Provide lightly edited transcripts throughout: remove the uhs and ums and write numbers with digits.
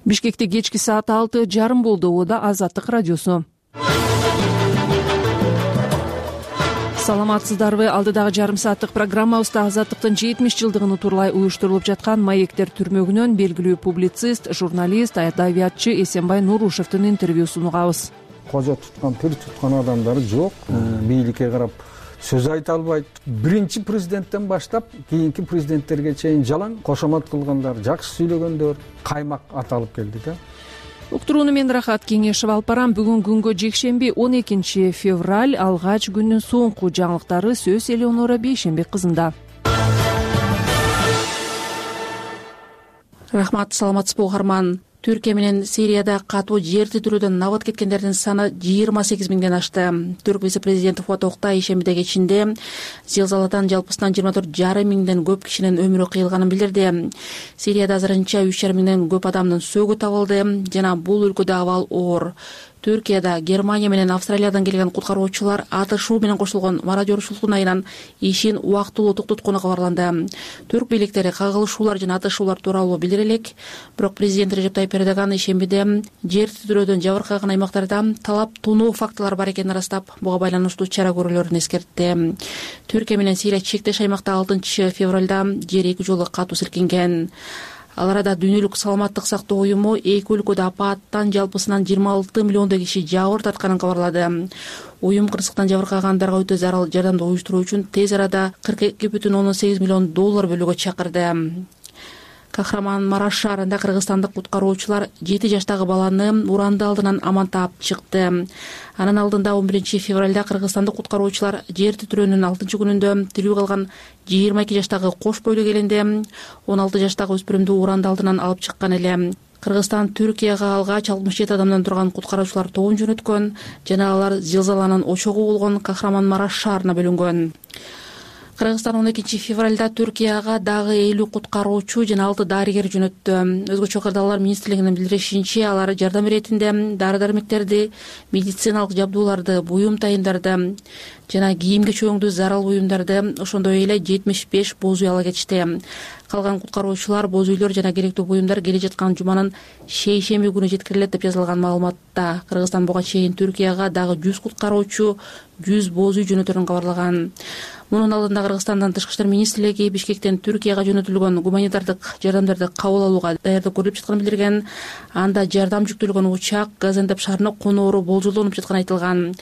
Бишкекте кечки саат 6:30 болду. Ода Азаттык радиосу. Саламатсыздарбы? Алдыдагы жарым сааттык программабызда Азаттыктын 70 жылдыгын турлай уюштурулуп жаткан Маектер түрмөгүнөн белгилүү публицист, журналист, адабиятчы Эсенбай Нурушевдин интервьюсун угабыз. Кожо туткан, пир туткан адамдары жок. Бийликке карап сөз айта албайт. Биринчи президенттен баштап кийинки президенттерге чейин жалаң кошомат кылгандар, жакшы сүйлөгөндөр каймак аталып келди да. Уктурууну мен Рахат Кеңешев алып барам. Бүгүн күнгө жекшемби 12 февраль алгач күндүн соңку жаңылыктары сөз Элеонора Бейшенбек кызында. Рахмат, саламатсызбы угарман. Түркия менен Сирияда катуу жер титирүүдөн набат кеткендердин саны 28 миңден ашты. Түрк вице-президенти Фуат Октай ишембиде кечинде зилзаладан жалпысынан 24,5 миңден көп кишинин өмүрү кыйылганын билдирди. Сирияда азырынча 3,5 миңден көп адамдын сөөгү табылды жана бул өлкөдө абал оор. Түркияда Германия менен Австралиядан келген куткаруучулар атышуу менен кошулгон мародёрчулуктун айынан ишин убактылуу токтоткону кабарланды. Түрк бийликтери кагылышуулар жана атышуулар тууралуу билдире элек, бирок президент Режеп Тайип Эрдоган ишембиде жер титирөөдөн жабыркаган аймактарда талап тунуу фактылар бар экенин ырастап, буга байланыштуу чара көрүүлөрүн эскертти. Түркия менен Сирия чектеш аймакта 6 февралда жер 2 жолу катуу силкинген. Ал арада Дүйнөлүк саламаттык сактоо уюму эки өлкөдө апааттан жалпысынан 26 миллиондой киши жабыр тартканын кабарлады. Уюм кырсыктан жабыркагандарга өтө зарыл жардамды уюштуруу үчүн тез арада 42,8 миллион доллар бөлүүгө чакырды. Кахраман-Мараш шаарында кыргызстандык куткаруучулар 7 жаштагы баланы уранды алдынан аман таап чыкты. Анын алдында 11 февралда кыргызстандык куткаруучулар жер титирөөнүн 6 күнүндө тирүү калган 22 жаштагы кош бойлуу келинди 16 жаштагы өспүрүмдү уранды алдынан алып чыккан эле. Кыргызстан Түркияга алгач 67 адамдан турган куткаруучулар тобун жөнөткөн жана алар зилзаланын очогу болгон Кахраман-Мараш шаарына бөлүнгөн. Кыргызстан 12 февралда Түркияга дагы 50 куткаруучу жана 6 дарыгер жөнөттү. Өзгөчө кырдаалар министрлигинин билдиришинче, алар жардам иретинде дары-дармектерди, медициналык жабдууларды, буюм тайындарды жана кийимге чөңдүү зарыл буюмдарды, ошондой эле 75 боз үй ала кетишти. Калган куткаруучулар боз үйлөр жана керектүү буюмдар келе жаткан жуманын шейшемби күнү жеткирилет деп жазылган маалыматта. Кыргызстан буга чейин Түркияга дагы 100 куткаруучу, 100 боз үй жөнөтөрүн кабарлаган. Мунун алдында Кыргызстандын Тышкы иштер министрлиги Бишкектен Түркияга жөнөтүлгөн гуманитардык жардамдарды кабыл алууга даярдык көрүлүп жатканын билдирген. Анда жардам жүктөлгөн учак Газентеп шаарына коноору болжолдонуп жатканы айтылган.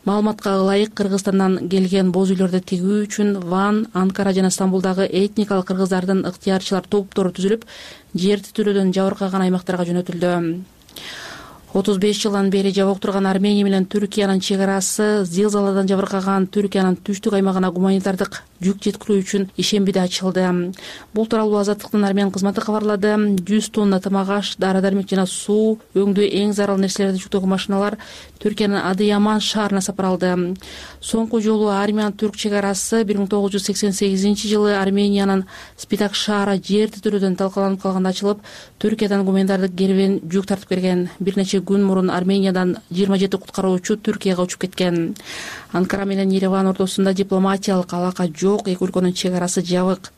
Маалыматка ылайык Кыргызстандан келген боз үйлөрдү тигүү үчүн Ван, Анкара жана Стамбулдагы этникалык кыргыздардын ыктыярчылар топтору түзүлүп, жер титирөөдөн жабыркаган аймактарга жөнөтүлдү. 35 жылдан бери жабык турган Армения менен Түркиянын чек арасы зилзаладан жабыркаган Түркиянын түштүк аймагына гуманитардык жүк жеткирүү үчүн ишембиде ачылды. Бул тууралуу Азаттыктын армян кызматы кабарлады. 100 тонна тамак-аш, дары-дармек жана суу өңдүү эң зарыл нерселерди жүктөгөн машиналар Түркиянын Адыяман шаарына сапар алды. Соңку жолу армян-түрк чек арасы 1988 жылы Армениянын Спитак шаары жер титирөөдөн талкаланып калганда ачылып, Түркиядан гуманитардык кербен жүк тартып берген. Бир нече күн мурун Армениядан 27 куткаруучу Түркияга учуп кеткен. Анкара менен Ереван ортосунда дипломатиялык алака жок, эки өлкөнүн чек арасы жабык.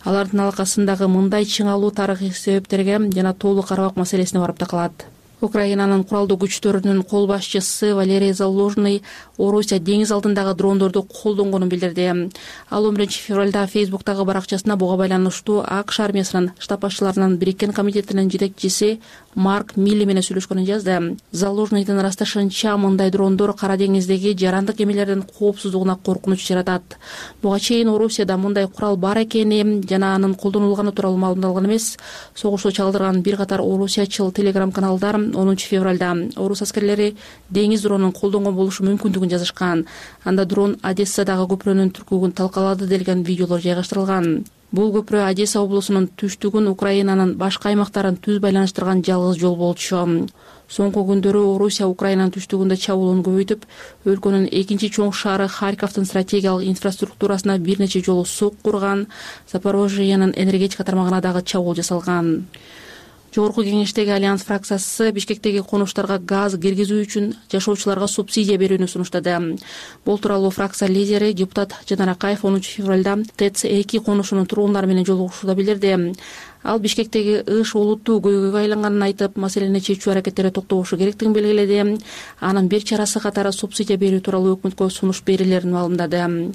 Алардын алакасындагы мындай чыңалуу тарыхый себептерге жана толук карабак маселесине барып такалат. Украинанын куралдуу күчтөрүнүн кол башчысы Валерий Залужный Орусия деңиз алдындагы дрондорду колдонгонун билдирди. Ал 11 февралда Фейсбуктагы баракчасына буга байланыштуу АКШ армиясынын штаб башчыларынын бириккен комитетинин жетекчиси Марк Милли менен сүйлөшкөнүн жазды. Залужныйдын ырасташынча, мындай дрондор Кара деңиздеги жарандык кемелердин коопсуздугуна коркунуч жаратат. Буга чейин Орусияда мындай курал бар экени жана анын колдонулганы тууралуу маалымдалган эмес. Согушту чалдырган бир катар орусиячыл телеграм-каналдар 10 февралда орус аскерлери деңиз дронун колдонгон болушу мүмкүндүгүн жазышкан. Анда дрон Одессадагы көпүрөнүн түркүгүн талкалады делген видеолор жайгаштырылган. Бул көпүрө Одесса облусунун түштүгүн Украинанын башка аймактарын түз байланыштырган жалгыз жол болчу. Соңку күндөрү Орусия Украинанын түштүгүндө чабуулун көбөйтүп, өлкөнүн экинчи чоң шаары Харьковдун стратегиялык инфраструктурасына бир нече жолу сук курган, Запорожьенын энергетика тармагына дагы чабуул жасалган. Жогорку кеңештеги Альянс фракциясы Бишкектеги конуштарга газ киргизүү үчүн жашоочуларга субсидия берүүнү сунуштады. Бул тууралуу фракция лидери депутат Жанар Акаев 10 февралда ТЭЦ-2 конушунун тургундары менен жолугушууда билдирди. Ал Бишкектеги ыш олуттуу көйгөйгө айланганын айтып, маселени чечүү аракеттери токтобошу керектигин белгиледи. Анын бир чарасы катары субсидия берүү тууралуу өкмөткө сунуш берилерин маалымдады.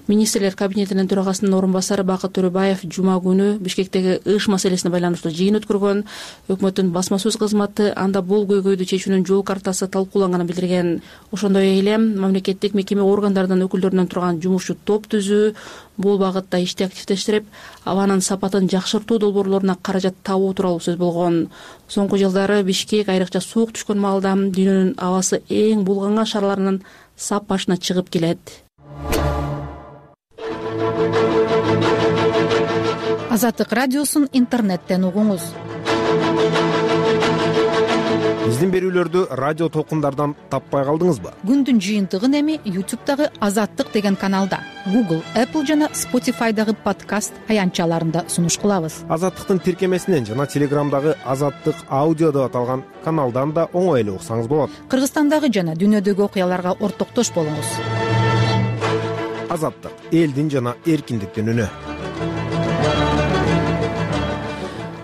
Министрлер кабинетинин төрагасынын орун басары Бакыт Төрөбаев жума күнү Бишкектеги ыш маселесине байланыштуу жыйын өткөргөн. Өкмөттүн басма сөз кызматы анда бул көйгөйдү чечүүнүн жол картасы талкууланганын билдирген. Ошондой эле мамлекеттик мекеме органдарынын өкүлдөрүнөн турган жумушчу топ түзүү, бул багытта ишти активдештирип, абанын сапатын жакшыртуу долбоорлоруна каражат табуу тууралуу сөз болгон. Соңку жылдары Бишкек айрыкча суук түшкөн маалда дүйнөнүн абасы эң булганган шаарларынын сап башына чыгып келет. Азаттык радиосун интернеттен угуңуз. Биздин берүүлөрдү радио толкундардан таппай калдыңызбы? Күндүн жыйынтыгын эми YouTube'дагы Азаттык деген каналда, Google, Apple жана Spotify'дагы подкаст аянтчаларында сунуш кылабыз. Азаттыктын тиркемесинен жана Телеграмдагы Азаттык аудио деп аталган каналдан да оңой эле уксаңыз болот. Кыргызстандагы жана дүйнөдөгү окуяларга ортоктош болуңуз. Азаттык — элдин жана эркиндиктин үнү.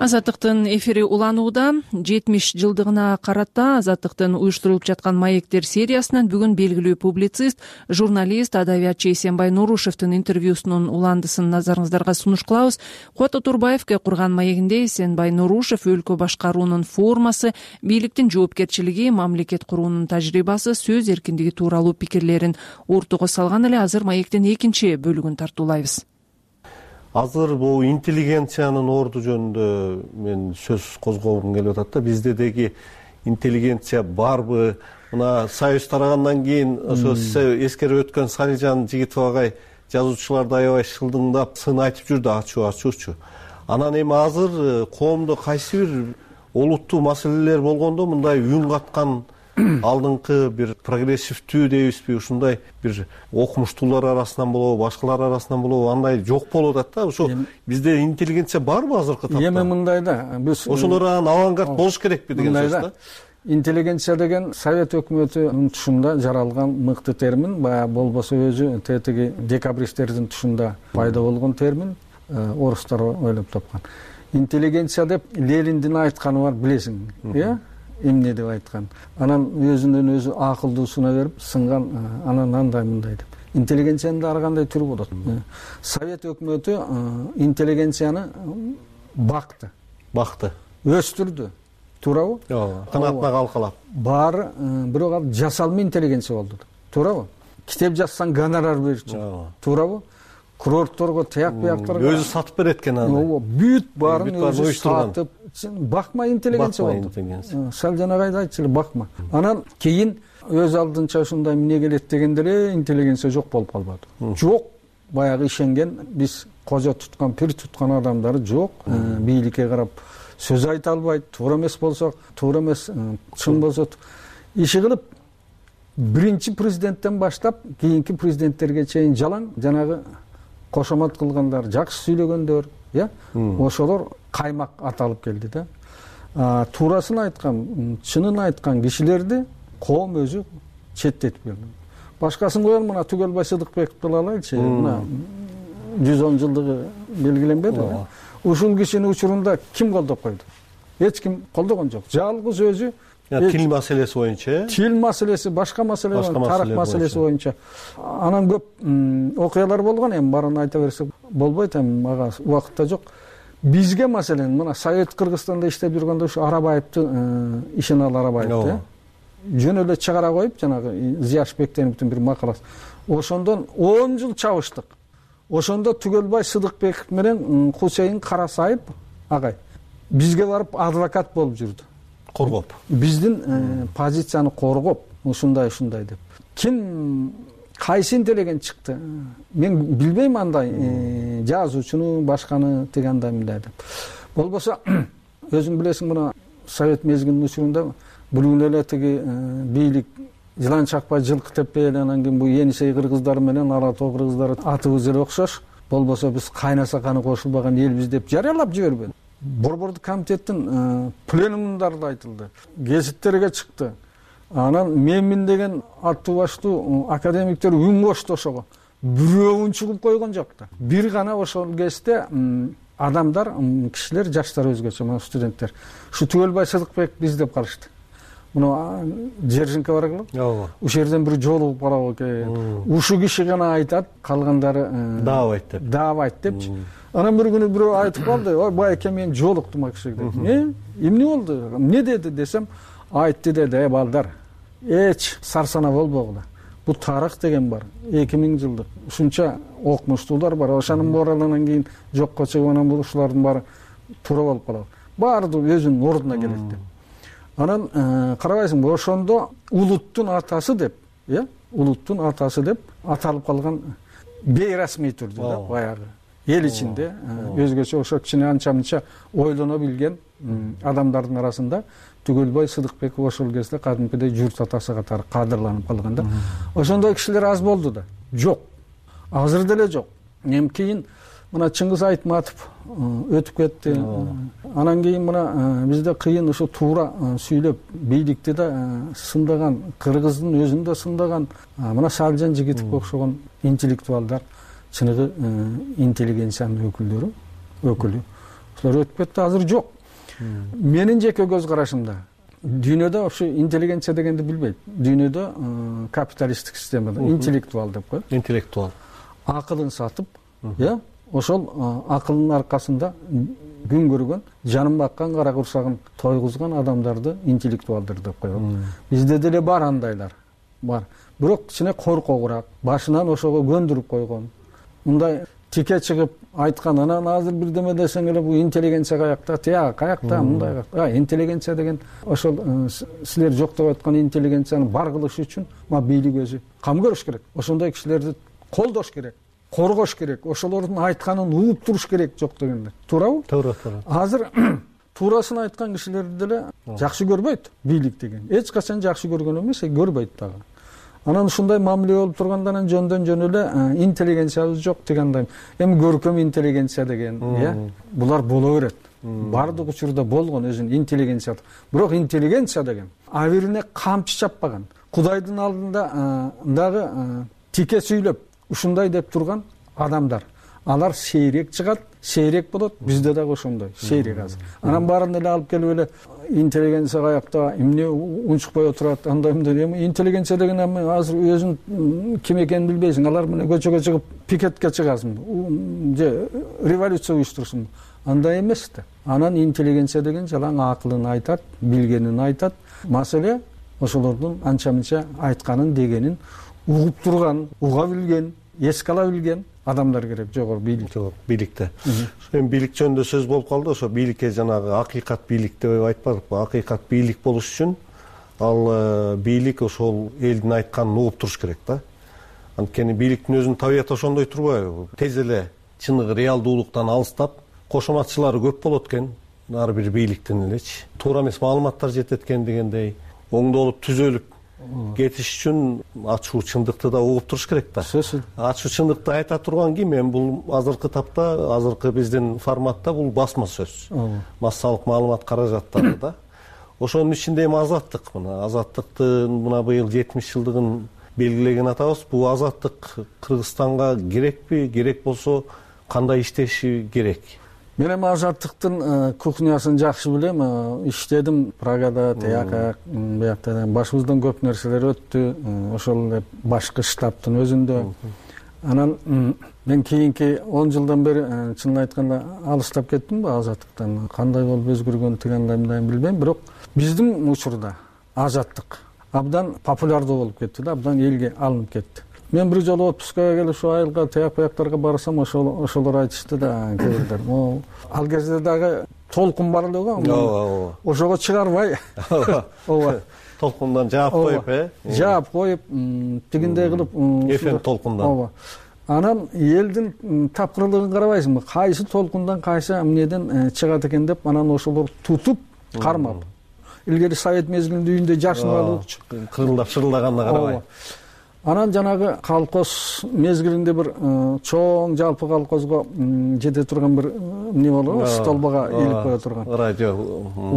Азаттыктын эфири уланууда. 70 жылдыгына карата Азаттыктын уюштурулуп жаткан маектер сериясынан бүгүн белгилүү публицист, журналист, адабиятчы Эсенбай Нурушевдин интервьюсунун уландысын назарыңыздарга сунуш кылабыз. Куат Отурбаевге курган маегинде Эсенбай Нурушев өлкө башкаруунун формасы, бийликтин жоопкерчилиги, мамлекет куруунун тажрыйбасы, сөз эркиндиги тууралуу пикирлерин ортого салган эле. Азыр маектин экинчи бөлүгүн тартуулайбыз. Азыр бул интеллигенциянын орду жөнүндө мен сөз козгогум келип атат да. Бизде деги интеллигенция барбы? Мына союз тарагандан кийин ошо эскерип өткөн Салижан Жигитов агай жазуучуларды аябай шылдыңдап, сын айтып жүрдү, ачуучу. Анан эми азыр коомдо кайсы бир олуттуу маселелер болгондо мындай үн каткан алдыңкы бир прогрессивдүү дейбизби, ушундай бир окумуштуулар арасынан болобу, башкалар арасынан болобу, андай жок болуп атат да. Ошо бизде интеллигенция барбы азыркы тапта? Эми мындай да, биз ошолор авангард болуш керекпи деген сөз да. Интеллигенция деген Совет өкмөтүнүн тушунда жаралган мыкты термин, баягы болбосо өзү тетиги декабристтердин тушунда пайда болгон термин, орустар ойлоп тапкан. Интеллигенция деп Лениндин айтканы бар, билесиң, э? Эмне деп айткан. Анан өзүнөн өзү акылдуусуна берип сынган, анан андай мындай деп. Интеллигенциянын ар кандай түрү болот. Совет өкмөтү интеллигенцияны бакты, өстүрдү. Туурабы? Ооба. Канатына калкалап. Баары бирок ал жасалма интеллигенция болду. Туурабы? Китеп жазсаң гонорар берчү. Туурабы? Курортторго, тияк бияктарга өзү сатып берет экен аны. Ооба, бүт баарын өзү сатып, бакма интеллигенция болду. Сал жанагайды айтчу эле, бакма. Анан кийин өз алдынча ушундай эмне келет дегенде эле интеллигенция жок болуп калбады. Жок, баягы ишенген, биз кожо туткан, пир туткан адамдары жок. Бийликке карап сөз айта албайт, туура эмес болсо, туура эмес, чын болсо иши кылып, биринчи президенттен баштап кийинки президенттерге чейин жалаң жанагы кошомат кылгандар, жакшы сүйлөгөндөр, ошолор каймак аталып келди да. Туурасын айткан, чынын айткан кишилерди коом өзү четтетип келди. Башкасын коелу, мына Түгөлбай Сыдыкбековду алайлычы, мына 110 жылдыгы белгиленбеди. Ушул кишинин учурунда ким колдоп койду? Эч ким колдогон жок. Жалгыз өзү тил маселеси боюнча, тил маселеси, башка маселе, тарых маселеси боюнча. Анан көп окуялар болгон, эми баарын айта берсек болбойт, эми ага убакыт да жок. Бизге маселен мына Совет Кыргызстанда иштеп жүргөндө ушу Арабаевдин Ишенал Арабаевди жөн эле чыгара коюп, жанагы Зияш Бектеновдун бир макаласы. Ошондон 10 жыл чабыштык. Ошондо Түгөлбай Сыдыкбеков менен Хусейин Карасаев агай бизге барып адвокат болуп жүрдү. Коргоп. Биздин позицияны коргоп, ушундай деп. Ким кайсы интеллигент чыкты? Мен билбейм андай жазуучуну, башканы тигандай мындай деп. Болбосо өзүң билесиң, мына Совет мезгилинин учурунда бүгүн эле тиги бийлик Жылан Чакпай, Жылкы Тепе, анан кийин бу Енисей кыргыздары менен Ала Тоо кыргыздары атыбыз эле окшош. Болбосо биз кайнаса каны кошулбаган элбиз деп жарыялап жибербеди. Борбордук комитеттин пленумунда айтылды. Гезиттерге чыкты. Анан менмин деген аттуу баштуу академиктер үн кошто ошого. Бирөөүн чыгып койгон жок да. Бир гана ошол кезде адамдар, кишилер, жаштар өзгөчө, мына студенттер ушу Түгөлбай Сыдыкбек биз деп калышты. Мына Жержинка бар экен. Ооба. Ушул жерден бир жолугуп барабы экен. Ушу киши гана айтат, калгандары даабайт деп. Даабайт депчи. Анан бир күнү бирөө айтып калды, ой байке мен жолуктум акшык деп. Эмне болду? Эмне деди десем, айтты деди, балдар. Эч сарсана болбогула. Бул тарых деген бар. 2000 жылдык. Ушунча окумуштуулар бар. Ошонун моралынан кийин жокко чыгып анан бул ушулардын баары туура болуп калат. Баардыгы өзүнүн ордуна келет деп. Анан карабайсыңбы, ошондо улуттун атасы деп, улуттун атасы деп аталып калган бейрасмий түрдө да, баягы эл ичинде өзгөчө ошо кичине анча-мынча ойлоно билген адамдардын арасында Түгөлбай Сыдыкбеков ошол кезде кадимкидей журт атасы катары кадырланып калган да. Ошондой кишилер аз болду да. Жок. Азыр деле жок. Кийин мына Чыңгыз Айтматов өтүп кетти. Анан кийин мына бизде кыйын ушу туура сүйлөп бийликти да сындаган, кыргыздын өзүн да сындаган мына Салжан Жигитовго окшогон интеллектуалдар, чыныгы интеллигенциянын өкүлү. Ошолор өтүп кетти, азыр жок. Менин жеке көз карашымда дүйнөдө ушу интеллигенция дегенди билбейт. Дүйнөдө капиталисттик системада интеллектуал деп коет. Интеллектуал. Акылын сатып, ошол акылдын аркасында күн көргөн, жанын баккан, кара курсагын тойгузган адамдарды интеллектуалдар деп коет. Бизде деле бар андайлар. Бар. Бирок кичине коркогураак, башынан ошого көндүрүп койгон. Мындай тике чыгып айткан, анан азыр бирдеме десең эле бул интеллигенция каякта, каякта, мындай каякта. Интеллигенция деген ошол силер жоктоп аткан интеллигенцияны бар кылыш үчүн бийлик өзү кам көрүш керек. Ошондой кишилерди колдош керек, коргош керек, ошолордун айтканын угуп туруш керек, жок дегенде. Туурабы? Туура. Азыр туурасын айткан кишилерди деле жакшы көрбөйт бийлик деген. Эч качан жакшы көргөн эмес, көрбөйт дагы. Анан ушундай мамиле болуп тургандан жөндөн жөн эле интеллигенциябыз жок дегендей. Эми көркөм интеллигенция деген, булар боло берет. Бардык учурда болгон өзүнүн интеллигенция. Бирок интеллигенция деген абирине камчы чаппаган, Кудайдын алдында дагы тике сүйлөп, ушундай деп турган адамдар. Алар сейрек чыгат, сейрек болот. Бизде дагы ошондой, сейрек азыр. Анан баарын эле алып келип эле интеллигенция каякта, эмне унчукпай отурат, андай мындай. Эми интеллигенция деген азыр өзүң ким экенин билбейсиң. Алар менен көчөгө чыгып пикетке чыгасың, же революция уюштурсуң. Андай эмес да. Анан интеллигенция деген жалаң акылын айтат, билгенин айтат. Маселе ошолордун анча-мынча айтканын, дегенин угуп турган, уга билген, эске ала билген адамдар керек, жогору бийликте. Эми бийлик жөнүндө сөз болуп калды. Ошо бийликке жанагы акыйкат бийлик деп айтпадыкпы? Акыйкат бийлик болуш үчүн ал бийлик ошол элдин айтканын угуп туруш керек да. Анткени бийликтин өзүнүн табияты ошондой турбайбы? Тез эле чыныгы реалдуулуктан алыстап, кошоматчылары көп болот экен, ар бир бийликтин элечи. Туура эмес маалыматтар жетет экен дегендей, оңдолуп түзөлүп кетиш үчүн ачуу чындыкты да угуп туруш керек да. Ачуу чындыкты айта турган ким? Эми бул азыркы тапта, азыркы биздин форматта бул басма сөз. Массалык маалымат каражаттары да. Ошонун ичинде эми азаттык. Мына азаттыктын мына быйыл 70 жылдыгын белгилеген атабыз. Бул азаттык Кыргызстанга керекпи? Керек болсо кандай иштеши керек? Мен эми азаттыктын кухнясын жакшы билем. Иштедим Прагада, биякта. Башыбыздан көп нерселер өттү. Ошол эле башкы штабтын өзүндө. Анан мен кийинки 10 жылдан бери чынын айтканда алыстап кеттимби азаттыктан. Кандай болуп өзгөргөн тигендей билбейм, бирок биздин учурда азаттык абдан популярдуу болуп кетти да, абдан элге алынып кетти. Мен бир жолу отпускага келип ушу айылга, таяк-паяктарга барсам, ошолор айтышты да, кээдер. Ал кезде дагы толкун бар эле го. Ошого чыгарбай. Ооба. Толкундан жаап коюп, Жаап коюп, тигиндей кылып, FM толкундан. Ооба. Анан элдин тапкырлыгын карабайсыңбы? Кайсы толкундан, кайсы эмнеден чыгат экен деп, анан ошолор тутуп, кармап. Илгери Совет мезгилинде үйүндө жашынып алып, кырылдап шырылдаганына карабай. Анан жанагы колхоз мезгилинде бир чоң жалпы колхозго жете турган бир эмне болобу, столбага илип кое турган. Радио.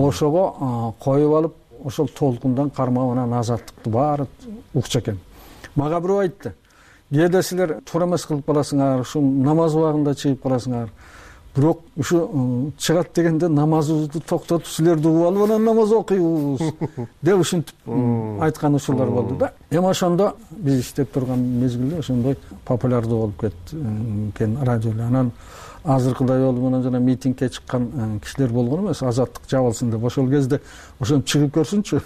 Ошого коюп алып, ошол толкундан кармап, анан азаттыкты баары укчу экен. Мага бирөө айтты: "Кээде силер туура эмес кылып каласыңар, ушу намаз убагында чыгып каласыңар. бирок ушу чыгат дегенде намазыбызды токтотуп силерди угуп алып анан намаз окуйбуз деп ушинтип айткан учурлар болду да. Эми ошондо биз иштеп турган мезгилде ошондой популярдуу болуп кеткен радио. Анан азыркыдай болуп анан жана митингге чыккан кишилер болгон эмес, азаттык жабылсын деп. Ошол кезде ошентип чыгып көрсүнчү,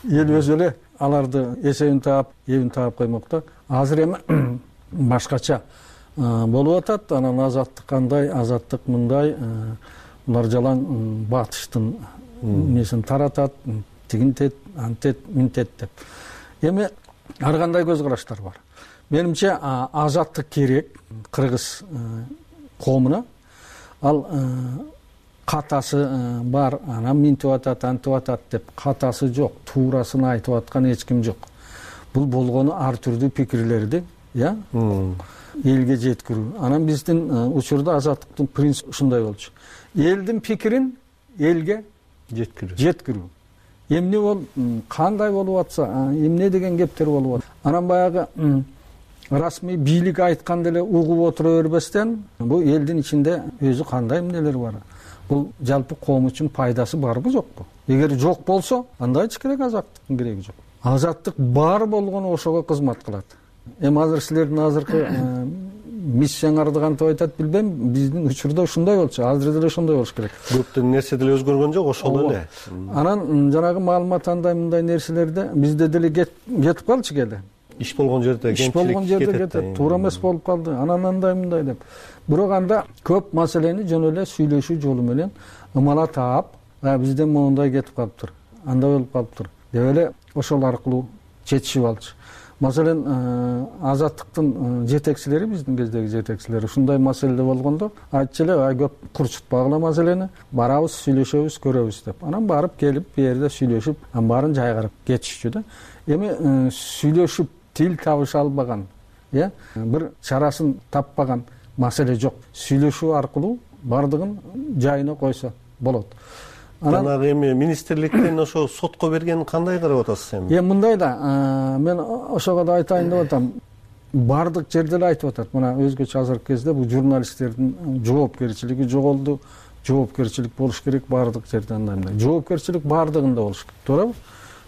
эл өзү эле аларды эсебин таап, эбин таап коймок да. Азыр эми башкача болуп атат. Анан азаттык кандай, азаттык мындай, булар жалаң батыштын несин таратат, тигинтет, антет, минтет деп. Эми ар кандай көз караштар бар. Менимче азаттык керек кыргыз коомуна. Ал катасы бар, анан минтип атат, антип атат деп катасы жок, туурасын айтып аткан эч ким жок. Бул болгону ар түрдүү пикирлерди, элге жеткирүү. Анан биздин учурда азаттыктын принципи ушундай болчу. Элдин пикирин элге жеткирүү. Эмне бол, кандай болуп атса, эмне деген кептер болуп атат. Анан баягы расмий бийлик айткан деле угуп отура бербестен, бул элдин ичинде өзү кандай эмнелер бар. Бул жалпы коом үчүн пайдасы барбы жокпу? Эгер жок болсо, анда эч керек азаттыктын кереги жок. Азаттык бар болгону ошого кызмат кылат. Эми азыр силердин азыркы миссияңарды кантип айтат билбейм, биздин учурда ушундай болчу, азыр деле ошондой болуш керек. Көптөн нерсе деле өзгөргөн жок, ошол эле. Анан жанагы маалымат андай мындай нерселерде бизде деле кетип калчу келе. Иш болгон жерде кетет. Туура эмес болуп калды. Анан андай мындай деп. Бирок анда көп маселени жөн эле сүйлөшүү жолу менен ымала таап, бизден моундай кетип калыптыр, андай болуп калыптыр деп эле ошол аркылуу чечишип алчу. Маселен, азаттыктын жетекчилери, биздин кездеги жетекчилери ушундай маселеде болгондо айтчу эле, көп курчутпагыла маселени, барабыз, сүйлөшөбүз, көрөбүз деп. Анан барып келип, бу жерде сүйлөшүп, баарын жайгарып кетишчү да. Эми сүйлөшүп тил табыша албаган, бир чарасын таппаган маселе жок. Сүйлөшүү аркылуу бардыгын жайына койсо болот. Жанагы эми министрликтен ошо сотко бергенин кандай карап атасыз эми? Эми мындай да, мен ошого да айтайын деп атам. Бардык жерде эле айтып атат. Мына өзгөчө азыркы кезде бул журналисттердин жоопкерчилиги жоголду, жоопкерчилик болуш керек бардык жерде андай. Жоопкерчилик бардыгында болуш керек, туурабы?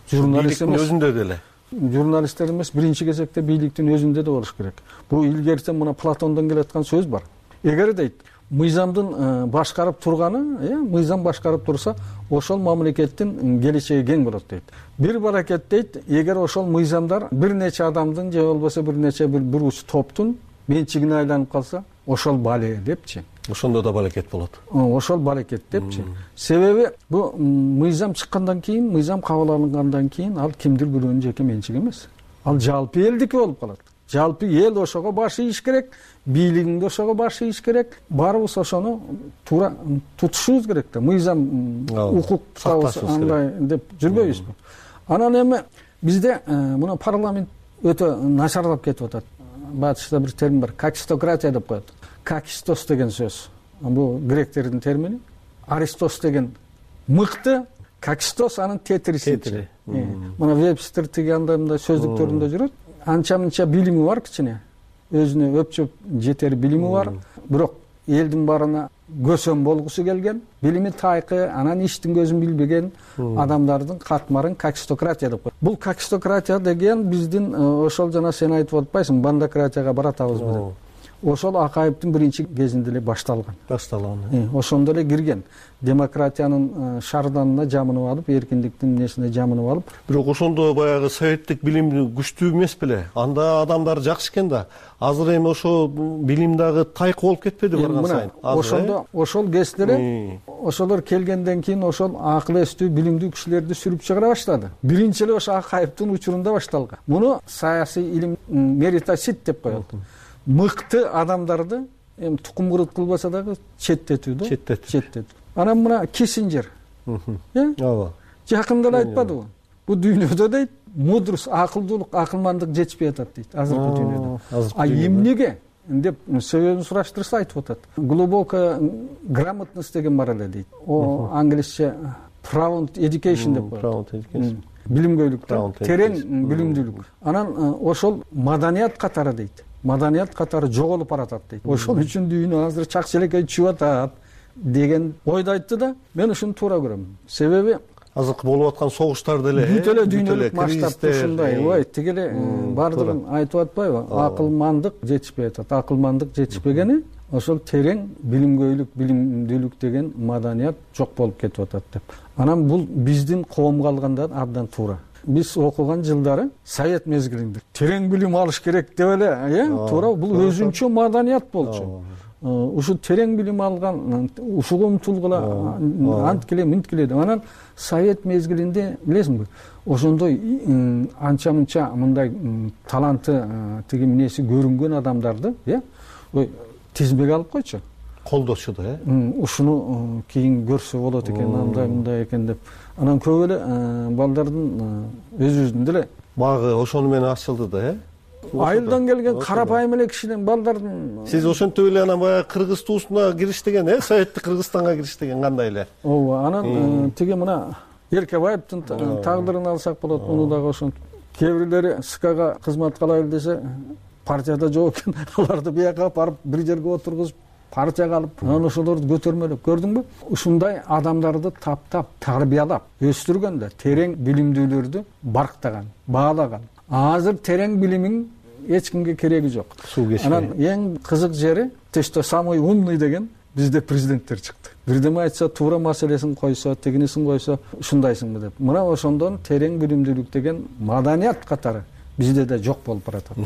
Журналисттин өзүндө деле. Журналисттер эмес, биринчи кезекте бийликтин өзүндө да болуш керек. Бул илгертен мына Платондон келаткан сөз бар. Эгер дейт, мыйзамдын башкарып турганы, мыйзам башкарып турса, ошол мамлекеттин келечеги кең болот дейт. Бир баракет дейт, эгер ошол мыйзамдар бир нече адамдын же болбосо бир нече бир уч топтун менчигине айланып калса, ошол бале депчи. Ошондо да балекет болот. Ошол балекет депчи. Себеби бул мыйзам чыккандан кийин, мыйзам кабыл алынгандан кийин ал кимдир бирөөнүн жеке менчиги эмес. Ал жалпы элдики болуп калат. Жалпы эл ошого баш ийиш керек, бийлигиң да ошого баш ийиш керек. Баарыбыз ошону туура тутушубуз керек да. Мыйзам, укук андай деп жүрбөйбүзбү? Анан эми бизде мына парламент өтө начарлап кетип атат. Батышта бир термин бар, какистократия деп коет. Какистос деген сөз. Бул гректердин термини. Аристос деген мыкты, какистос анын тетириси. Мына Вебстер тиги андай мындай сөздүктөрүндө жүрөт. Анча-мынча билими бар кичине. Өзүнө өпчөп жетер билими бар. Бирок элдин баарына көсөм болгусу келген, билими тайкы, анан иштин көзүн билбеген адамдардын катмарын какистократия деп коет. Бул какистократия деген биздин ошол жана сен айтып атпайсың, бандократияга баратабызбы деп. Ошол Акаевдин биринчи кезинде эле башталган. Ошондо эле кирген. Демократиянын шарданына жамынып алып, эркиндиктин несине жамынып алып. Бирок ошондо баягы советтик билим күчтүү эмес беле? Анда адамдар жакшы экен да. Азыр эми ошо билим дагы тайкы болуп кетпеди барган сайын? Ошондо ошол кезде эле ошолор келгенден кийин ошол акыл эстүү, билимдүү кишилерди сүрүп чыгара баштады. Биринчи эле ошо Акаевдин учурунда башталган. Муну саясий илим меритосит деп коет. Мыкты адамдарды эми тукум кырыт кылбаса дагы четтетүү да. Четтетүү. Анан мына Киссинджер. Ооба. Жакында эле айтпадыбы? Бул дүйнөдө дейт, мудрость, акылдуулук, акылмандык жетишпей атат дейт азыркы дүйнөдө. Эмнеге деп себебин сураштырса айтып атат. Глубокая грамотность деген бар эле дейт. Англисче profound education деп коет. Билимгөйлүк, терең билимдүүлүк. Анан ошол маданият катары дейт. Маданият катары жоголуп баратат дейт. Ошол үчүн дүйнө азыр чак челекей чүйүп атат. деген ойду айтты да, мен ушуну туура көрөм. Себеби азыркы болуп аткан согуштар деле бүт эле дүйнөлүк масштабта ушундай, ой, тиги эле баардыгын айтып атпайбы? Акылмандык жетишпей атат. Акылмандык жетишпегени ошол терең билимгөйлүк, билимдүүлүк деген маданият жок болуп кетип атат деп. Анан бул биздин коомго алганда абдан туура. Биз окуган жылдары Совет мезгилинде терең билим алыш керек деп эле, туура, бул өзүнчө маданият болчу. Ушу терең билим алган, ушуга умтулгула, анткиле, мынткиле деп. Анан Совет мезгилинде билесиңби, ошондой анча-мынча мындай таланты, тиги эмнеси көрүнгөн адамдарды, ой, тизмеге алып койчу. Колдочу да, ушуну кийин көрсө болот экен, андай мындай экен деп. Анан көп эле балдардын өзүбүздүн деле багы ошону менен ачылды да, айылдан келген карапайым эле кишиден балдардын. Сиз ошентип эле анан баягы кыргыз туусуна кириштеген, Советтик Кыргызстанга кириштеген кандай эле? Ооба, анан тиги мына Эркебаевдин тагдырын алсак болот, муну дагы ошентип. Кээ бирлери СКга кызмат кылайлы десе, партияда жок экен, аларды бияка барып бир жерге отургузуп, партияга алып, анан ошолорду көтөрмөлөп, көрдүңбү? Ушундай адамдарды таптап, тарбиялап, өстүргөндө терең билимдүүлөрдү барктаган, баалаган. Азыр терең билимин эч кимге кереги жок. Анан эң кызык жери, то самый умный деген бизде президенттер чыкты. Бирдеме айтса, туура маселесин койсо, тигинисин койсо, ушундайсыңбы деп. Мына ошондон терең билимдүүлүк деген маданият катары бизде да жок болуп баратат.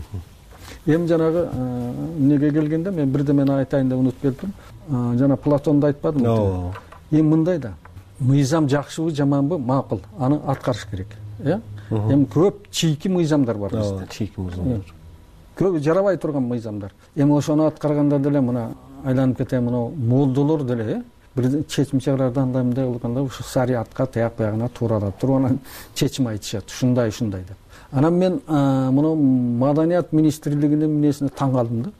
Эми жанагы эмнеге келгенде мен бирдемени айтайын деп унутуп келдим. Жана Платонду айтпадымбы? Эми мындай да, мыйзам жакшыбы, жаманбы, макул, аны аткарыш керек. Эми көп чийки мыйзамдар бар бизде. Чийки мыйзамдар. Көп жарабай турган мыйзамдар. Эми ошону аткарганда деле мына айланып кетем, мына молдолор деле бир чечим чыгарарды андай мындай кылганда ушу шариатка таяк буягына тууралап туруп анан чечим айтышат, ушундай деп. Анан мен мына Маданият министрлигинин эмнесине таң калдым да.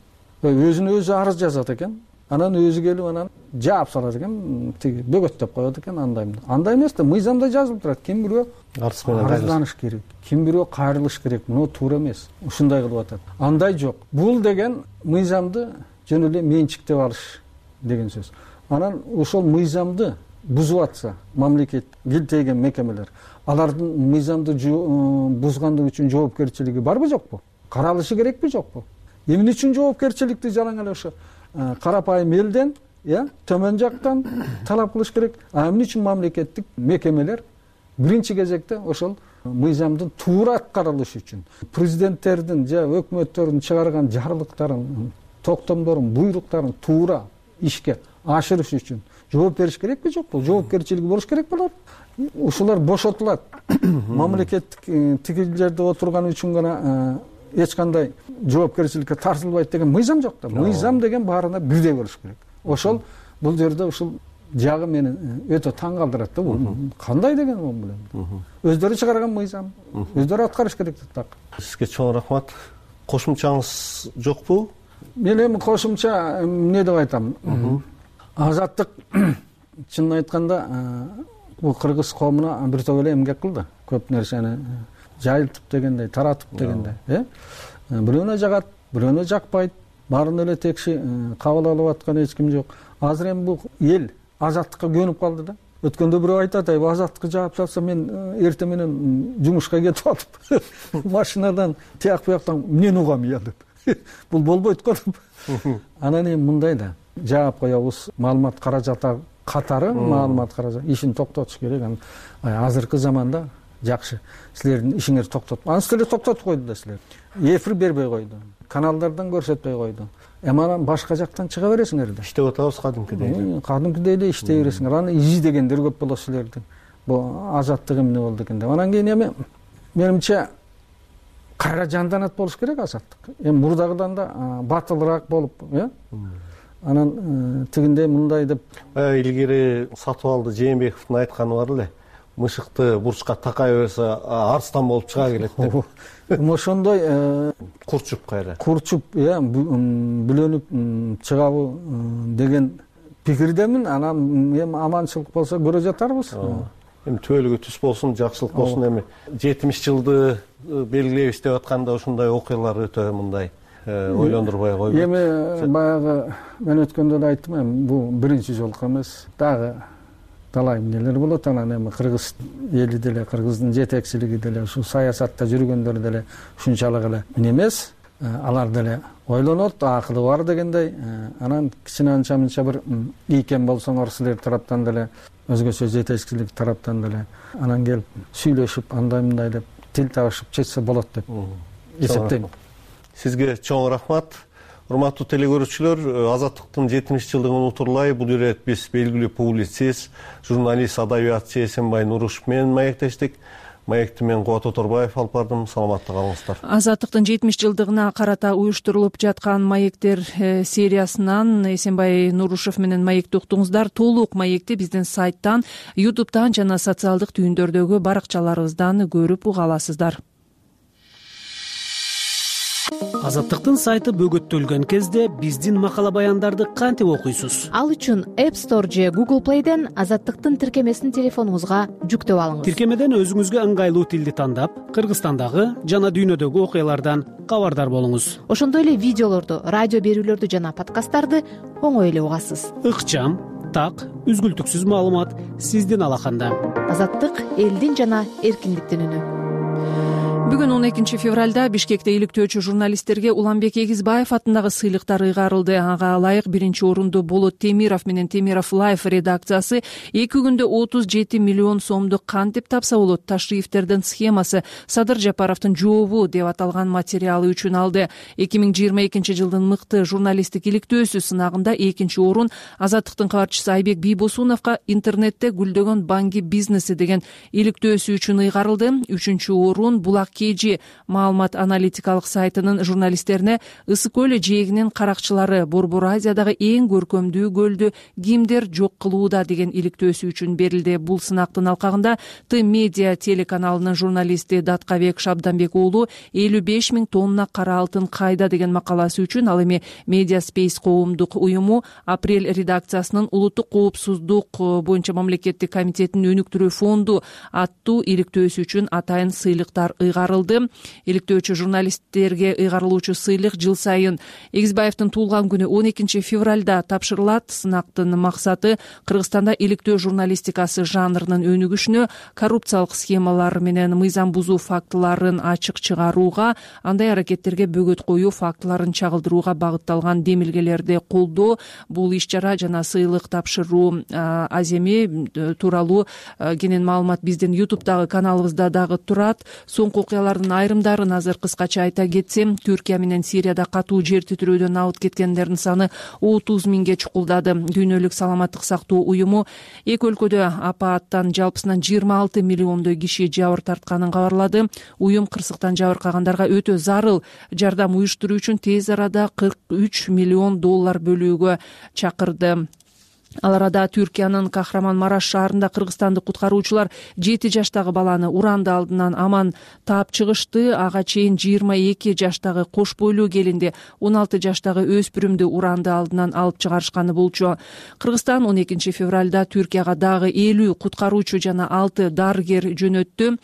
Өзүнө өзү арыз жазат экен. Анан өзү келип анан жаап салат экен, тиги бөгөттөп коет экен, андай эмес да, мыйзамда жазылып турат. Ким бирөө арызданыш керек, ким бирөө кайрылыш керек. Муну туура эмес. Ушундай кылып атат. Андай жок. Бул деген мыйзамды жөн эле менчиктеп алыш деген сөз. Анан ошол мыйзамды бузуп атса, мамлекет, килтейген мекемелер, алардын мыйзамды бузгандыгы үчүн жоопкерчилиги барбы, жокпу? Каралышы керекпи, жокпу? Эмне үчүн жоопкерчиликти жалаң эле ошо карапайым элден, төмөн жактан талап кылыш керек? Эмне үчүн мамлекеттик мекемелер биринчи кезекте ошол мыйзамдын туура аткарылышы үчүн, президенттердин же өкмөттөрдүн чыгарган жарлыктарын, токтомдорун, буйруктарын туура ишке ашырыш үчүн жооп бериш керекпи, жокпу? Жоопкерчилиги болуш керек болот. Ушулар бошотулат. Мамлекеттик тиги жерде отурган үчүн гана эч кандай жоопкерчиликке тартылбайт деген мыйзам жок да. Мыйзам деген баарына бирдей болуш керек. Ошол бул жерде ушул жагы мени өтө таң калтырат да. Бул кандай деген ол билем. Өздөрү чыгарган мыйзам, өздөрү аткарыш керек так. Сизге чоң рахмат. Кошумчаңыз жокпу? Мен эми кошумча эмне деп айтам? Азаттык чынын айтканда бул кыргыз коомуна бир топ эле эмгек кылды. Көп нерсени жайылтып дегендей, таратып дегендей, бирөөнө жагат, бирөөнө жакпайт, баарын эле текши кабыл алып аткан эч ким жок. Азыр эми бул эл азаттыкка көнүп калды да. Өткөндө бирөө айтат, азаттыкка жаап салса мен эртең менен жумушка кетип атып машинадан тияк буяктан эмнени угам я деп. Бул болбойт го деп. Анан эми мындай да, жаап коебуз, маалымат каражаты катары маалымат каражаты ишин токтотуш керек. Азыркы заманда жакшы. Силердин ишиңерди токтотуп, анан силер токтотуп койду да силер. Эфир бербей койду. Каналдардан көрсөтпөй койду. Эми анан башка жактан чыга бересиңер да. Иштеп атабыз кадимкидей. Кадимкидей эле иштей бересиңер. Аны издегендер көп болот силердин. Бул азаттык эмне болду экен деп. Анан кийин эми менимче кайра жанданат болуш керек азаттык. Эми мурдагыдан да батылыраак болуп, анан тигиндей мындай деп. Илгери Сатыбалды Жээнбековдун айтканы бар эле. Мышыкты бурчка такай берсе арстан болуп чыга келет деп. Ошондой курчуп кайра. Курчуп, бүлөнүп чыгабы деген пикирдемин. Анан эми аманчылык болсо көрө жатарбыз. Эми түбөлүгү түз болсун, жакшылык болсун. Эми 70 жылды белгилейбиз деп атканда ушундай окуялар өтө мындай ойлондурбай койбойт. Эми баягы мен өткөндө да айттым, эми бул биринчи жолку эмес, дагы талай эмнелер болот. Анан эми кыргыз эли деле, кыргыздын жетекчилиги деле, ушул саясатта жүргөндөр деле ушунчалык эле эмес, алар деле ойлонот, акылы бар дегендей. Анан кичине анча мынча бир ийкен болсоңор силер тараптан деле, өзгөчө жетекчилик тараптан деле анан келип сүйлөшүп андай мындай деп тил табышып чечсе болот деп эсептейм. Сизге чоң рахмат. Урматтуу телекөрүүчүлөр, Азаттыктын 70 жылдыгын унутурлай бул ирет биз белгилүү публицист, журналист, адабиятчы Эсенбай Нурушев менен маектештик. Маекти мен Кубат Оторбаев алып бардым. Саламатта калыңыздар. Азаттыктын 70 жылдыгына карата уюштурулуп жаткан маектер сериясынан Эсенбай Нурушев менен маекти уктуңуздар. Толук маекти биздин сайттан, YouTube'дан жана социалдык түйүндөрдөгү баракчаларыбыздан көрүп уга аласыздар. Азаттыктын сайты бөгөттөлгөн кезде биздин макала баяндарды кантип окуйсуз? Ал үчүн App Store же Google Play'ден Азаттыктын тиркемесин телефонуңузга жүктөп алыңыз. Тиркемеден өзүңүзгө ыңгайлуу тилди тандап, Кыргызстандагы жана дүйнөдөгү окуялардан кабардар болуңуз. Ошондой эле видеолорду, радио берүүлөрдү жана подкасттарды оңой эле угасыз. Ыкчам, так, үзгүлтүксүз маалымат сиздин алаканда. Азаттык элдин жана эркиндиктин үнү. Бүгүн 12 февралда Бишкекте иликтөөчү журналисттерге Уланбек Эгизбаев атындагы сыйлыктар ыйгарылды. Ага ылайык биринчи орунду Болот Темиров менен Темиров Life редакциясы 2 күндө 37 миллион сомдук кантип тапса болот ташрифтердин схемасы Садыр Жапаровдун жообу деп аталган материалы үчүн алды. 2022 жылдын мыкты журналисттик иликтөөсү сынагында 2 орун Азаттыктын кабарчысы Айбек Бийбосуновго интернетте гүлдөгөн банги бизнеси деген иликтөөсү үчүн ыйгарылды. 3 орун Булак KG маалымат аналитикалык сайтынын журналисттерине Ысык көл жээгинин каракчылары Борбор Азиядагы эң көркөмдүү көлдү кимдер жок кылууда деген иликтөөсү үчүн берилди. Бул сынактын алкагында Т-Медиа телеканалынын журналисти Даткабек Шабданбек уулу 55 000 тонна кара алтын кайда деген макаласы үчүн, ал эми Media Space коомдук уюму Апрель редакциясынын улуттук коопсуздук боюнча мамлекеттик комитетинин өнүктүрүү фонду аттуу иликтөөсү үчүн атайын сыйлыктар ыйгарылды. Иликтөөчү журналисттерге ыйгарылуучу сыйлык жыл сайын Эгизбаевдин туулган күнү 12 февралда тапшырылат. Сынактын максаты Кыргызстанда иликтөө журналистикасы жанрынын өнүгүшүнө, коррупциялык схемалар менен мыйзам бузуу фактыларын ачык чыгарууга, андай аракеттерге бөгөт коюу фактыларын чагылдырууга багытталган демилгелерди колдоо. Бул иш-чара жана сыйлык тапшыруу аземи тууралуу кенен маалымат биздин YouTube'дагы каналыбызда дагы турат. Соңку окуялардын айрымдарын азыр кыскача айта кетсем, Түркия менен Сирияда катуу жер титирөөдөн абыт кеткендердин саны 30 000ге чукулдады. Дүйнөлүк саламаттык сактоо уюму эки өлкөдө апааттан жалпысынан 26 миллиондой киши жабыр тартканын кабарлады. Уюм кырсыктан жабыркагандарга өтө зарыл жардам уюштуруу үчүн тез арада $43 миллион бөлүүгө чакырды. Ал арада Түркиянын Кахраман-Мараш шаарында кыргызстандык куткаруучулар 7 жаштагы баланы уранды алдынан аман таап чыгышты. Ага чейин 22 жаштагы кош бойлуу келинди 16 жаштагы өспүрүмдү уранды алдынан алып чыгарышканы болчу. Кыргызстан 12 февралда Түркияга дагы 50 куткаруучу жана 6 дарыгер жөнөттү.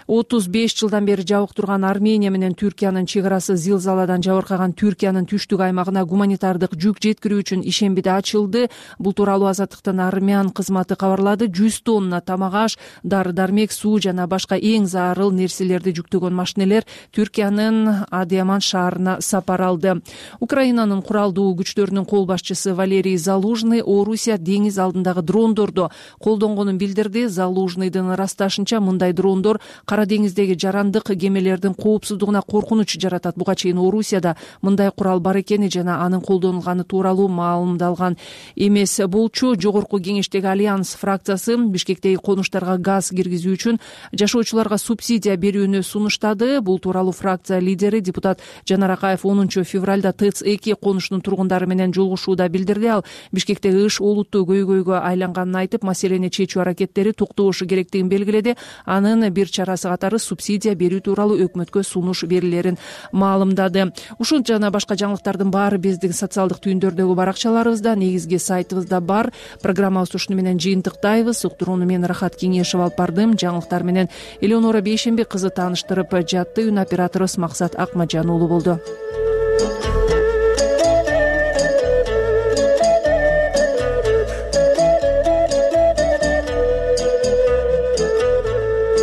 35 жылдан бери жабык турган Армения менен Түркиянын чек арасы зилзаладан жабыркаган Түркиянын түштүк аймагына гуманитардык жүк жеткирүү үчүн ишембиде ачылды. Бул тууралуу Азаттыктын армян кызматы кабарлады. 100 тонна тамак-аш, дары-дармек, суу жана башка эң зарыл нерселерди жүктөгөн машинелер Түркиянын Адиаман шаарына сапар алды. Украинанын куралдуу күчтөрүнүн кол башчысы Валерий Залужный Орусия деңиз алдындагы дрондорду колдонгонун билдирди. Залужныйдын ырасташынча мындай дрондор Кара деңиздеги жарандык кемелердин коопсуздугуна коркунуч жаратат. Буга чейин Орусияда мындай курал бар экени жана анын колдонулганы тууралуу маалымдалган эмес болчу. Жогорку кеңештеги Альянс фракциясы Бишкектеги конуштарга газ киргизүү үчүн жашоочуларга субсидия берүүнү сунуштады. Бул тууралуу фракция лидери депутат Жанар Акаев 10 февралда ТЭЦ-2 конуштун тургундары менен жолугушууда билдирди. Ал Бишкектеги ыш олуттуу көйгөйгө айланганын айтып, маселени чечүү аракеттери токтошу керектигин белгиледи. Анын бир чарасы катары субсидия берүү тууралуу өкмөткө сунуш берилерин маалымдады. Ушул жана башка жаңылыктардын баары биздин социалдык түйүндөрдөгү баракчаларыбызда, негизги сайтыбызда бар. Программабыз ушуну менен жыйынтыктайбыз. Уктурууну мен Рахат Кеңешев алып бардым. Жаңылыктар менен Элеонора Бейшембек кызы тааныштырып жатты. Үн операторубуз Максат Акмажан уулу болду.